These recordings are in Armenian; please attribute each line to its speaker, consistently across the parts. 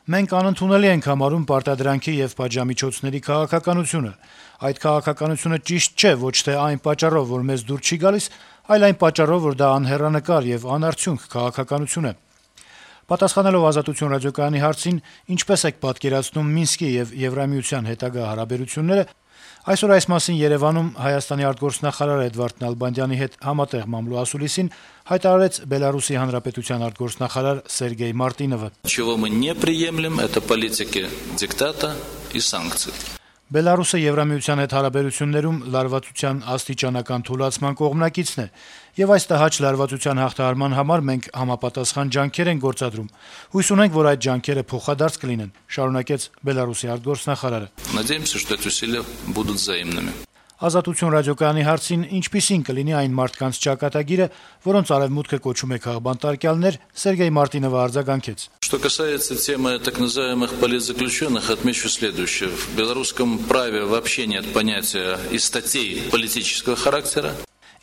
Speaker 1: Մենք անընդունելի ենք համարում պարտադրանքի եւ պատժամիջոցների քաղաքականությունը։ Այդ քաղաքականությունը ճիշտ չէ ոչ թե այն պատճառով, որ մեզ դուր չի գալիս, այլ այն պատճառով, որ դա անհեռանկար եւ անարդյունք քաղաքականություն է։ Պատասխանելով Ազատություն ռադիոկայանի հարցին, ինչպես եք պատկերացնում Մինսկի եւ Եվրամիության հետագա հարաբերությունները, այսօր այս մասին Երեւանում Հայաստանի արտգործնախարար Էդվարդ Նալբանդյանի հետ համատեղ մամլո ասուլիսին հայտարարեց Բելարուսի Հանրապետության արտգործնախարար Սերգեյ Մարտինովը։
Speaker 2: Чего мы не приемлем, это политики диктата и санкций.
Speaker 1: Բելարուսը Եվրամիության հետ հարաբերություններում լարվածության աստիճանական թուլացման կողմնակիցն է, եւ այս տհաճ լարվածության հաղթահարման համար մենք համապատասխան ջանքեր ենք գործադրում։ Հույս ունենք, որ այդ ջանքերը փոխադարձ կլինեն, շարունակեց Բելարուսի արտգործնախարարը։
Speaker 2: Надеемся, что эти усилия будут взаимными.
Speaker 1: Ազատություն ռադիոկայանի հարցին ինչպիսին кլինի այն մարդկանց ճակատագիրը, որոնց արևմուտքը կոչում է քաղբանտարկյալներ, Սերգեյ Մարտինովը արձագանքեց.
Speaker 2: Что касается темы так называемых политзаключенных, отмечу следующее. В белорусском праве вообще нет понятия и статей политического характера.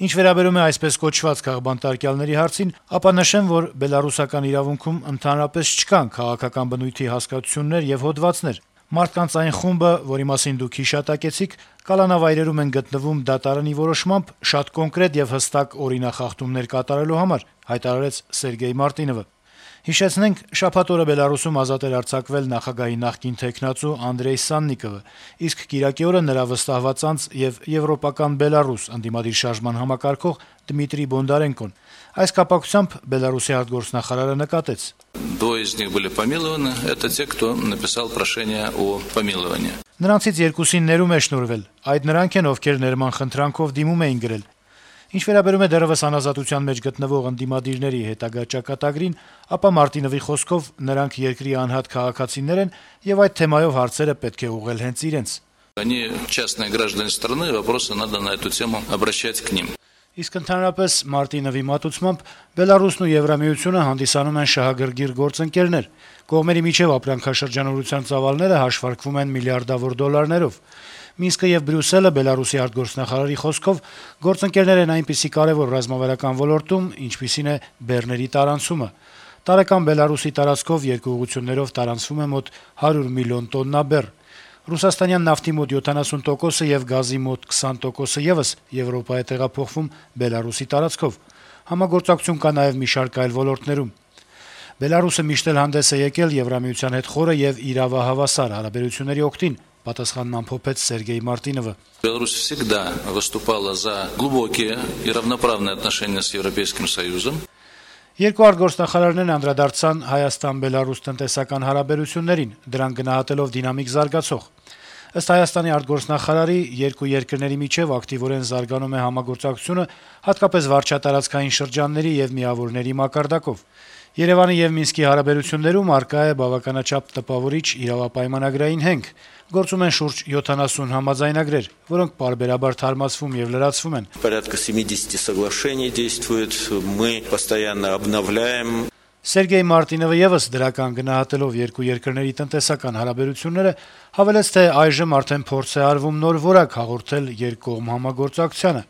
Speaker 1: Ինչ վերաբերում է այսպես կոչված քաղբանտարկյալների հարցին, ապա նշեմ, որ բելարուսական իրավունքում ընդհանրապես չկան քաղաքական բնույթի հասկացություններ եւ հոդվածներ։ Մարդկանց այն խումբը, որի մասին դուք հիշատակեցիք, կալանավայրերում են գտնվում դատարանի որոշմամբ շատ կոնկրետ եւ հստակ օրինախախտումներ կատարելու համար, հայտարարեց Սերգեյ Մարտինովը։ Հիշեցնենք, շաբաթ օրը Բելարուսում ազատ էր արձակվել նախագահի նախկին թեկնածու Անդրեյ Սաննիկովը, իսկ կիրակի օրը նրա վստահված անձ եւ եվրոպական Բելարուս ընդդիմադիր շարժման համակարգող Դմիտրի Բոնդարենկոն։ Այս կապակցությամբ Բելարուսի արտգործնախարարը նկատեց.
Speaker 2: Двое из них были помилованы, это те, кто написал прошение о помиловании.
Speaker 1: Նրանցից երկուսին ներում է շնորհվել, այդ նրանք են, ովքեր ներման խնդրանքով դիմում էին գրել։ Ինչ վերաբերում է դեռևս անազատության մեջ գտնվող ընդդիմադիրների հետագա ճակատագրին, ապա Մարտինովի խոսքով նրանք երկրի անհատ քաղաքացիներ են եւ այդ թեմայով հարցերը պետք է ուղղել հենց իրենց։
Speaker 2: Они частные граждане страны, вопросы надо на эту тему обращать к ним.
Speaker 1: Իսկ ընդհանրապես Մարտինովի մատուցմամբ Բելարուսն ու Եվրամիությունը հանդիսանում են շահագրգիռ գործընկերներ։ Կողմերի միջև ապրանքաշրջանառության ծավալները հաշվարկվում են միլիարդավոր դոլարներով։ Մինսկը եւ Բրյուսելը Բելարուսի արտգործնախարարի խոսքով գործընկերներ են այնպիսի կարեւոր ռազմավարական ոլորտում, ինչպիսին է բեռների տարանցումը։ Տարեկան Բելարուսի տարածքով երկու ուղղություններով տարանցվում է մոտ 100 միլիոն տոննա բեռ։ Ռուսաստանյան նավթի մոտ 70% եւ գազի մոտ 20% եւս Եվրոպա է տեղափոխվում Բելարուսի տարածքով։ Համագործակցություն կա նաեւ մի շարք այլ ոլորտներում։ Բելարուսը միշտ էլ հանդես է եկել Եվրամիության հետ խորը եւ իրավահավասար հարաբերությունների օգտին, պատասխանն ամփոփեց Սերգեյ Մարտինովը։
Speaker 2: Беларусь всегда выступала за глубокие и равноправные отношения с Европейским Союзом.
Speaker 1: Երկու արտգործնախարարներն անդրադարձան Հայաստան-Բելարուս տնտեսական հարաբերություններին, դրան գնահատելով դինամիկ զարգացող։ Ըստ Հայաստանի արտգործնախարարի, երկու երկրների միջև ակտիվորեն զարգանում է համագործակցությունը, հատկապես վարչատարածքային շրջանների եւ միավորների մակարդակով։ Երևանի եւ Մինսկի հարաբերություններում առկա է բավականաչափ տպավորիչ իրավապայմանագրային հենք։ Գործում են շուրջ 70 համաձայնագրեր, որոնք պարբերաբար թարմացվում եւ լրացվում են։
Speaker 3: Порядка 70 соглашений действует, мы постоянно обновляем.
Speaker 1: Սերգեյ Մարտինովը եւս դրական գնահատելով երկու երկրների տնտեսական հարաբերությունները հավելեց, թե այժմ արդեն փորձ է արվում նոր որակ հաղորդել երկկողմ համագործակցությանը։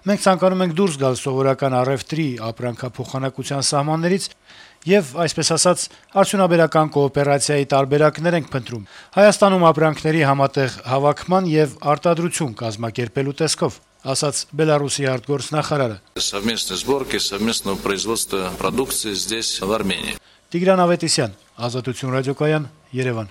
Speaker 1: Մենք ցանկանում ենք դուրս գալ սովորական առևտրի ապրանքափոխանակության սահմաններից եւ, այսպես ասած, արդյունաբերական կոոպերացիայի տարբերակներ ենք փնտրում։ Հայաստանում ապրանքների համատեղ հավաքման եւ արտադրություն կազմակերպելու տեսքով, ասաց Բելարուսի արտգործնախարարը։
Speaker 2: Совместной сборки, совместного производства продукции здесь, в Армении.
Speaker 1: Տիգրան Ավետիսյան, Ազատություն ռադիոկայան, Երևան։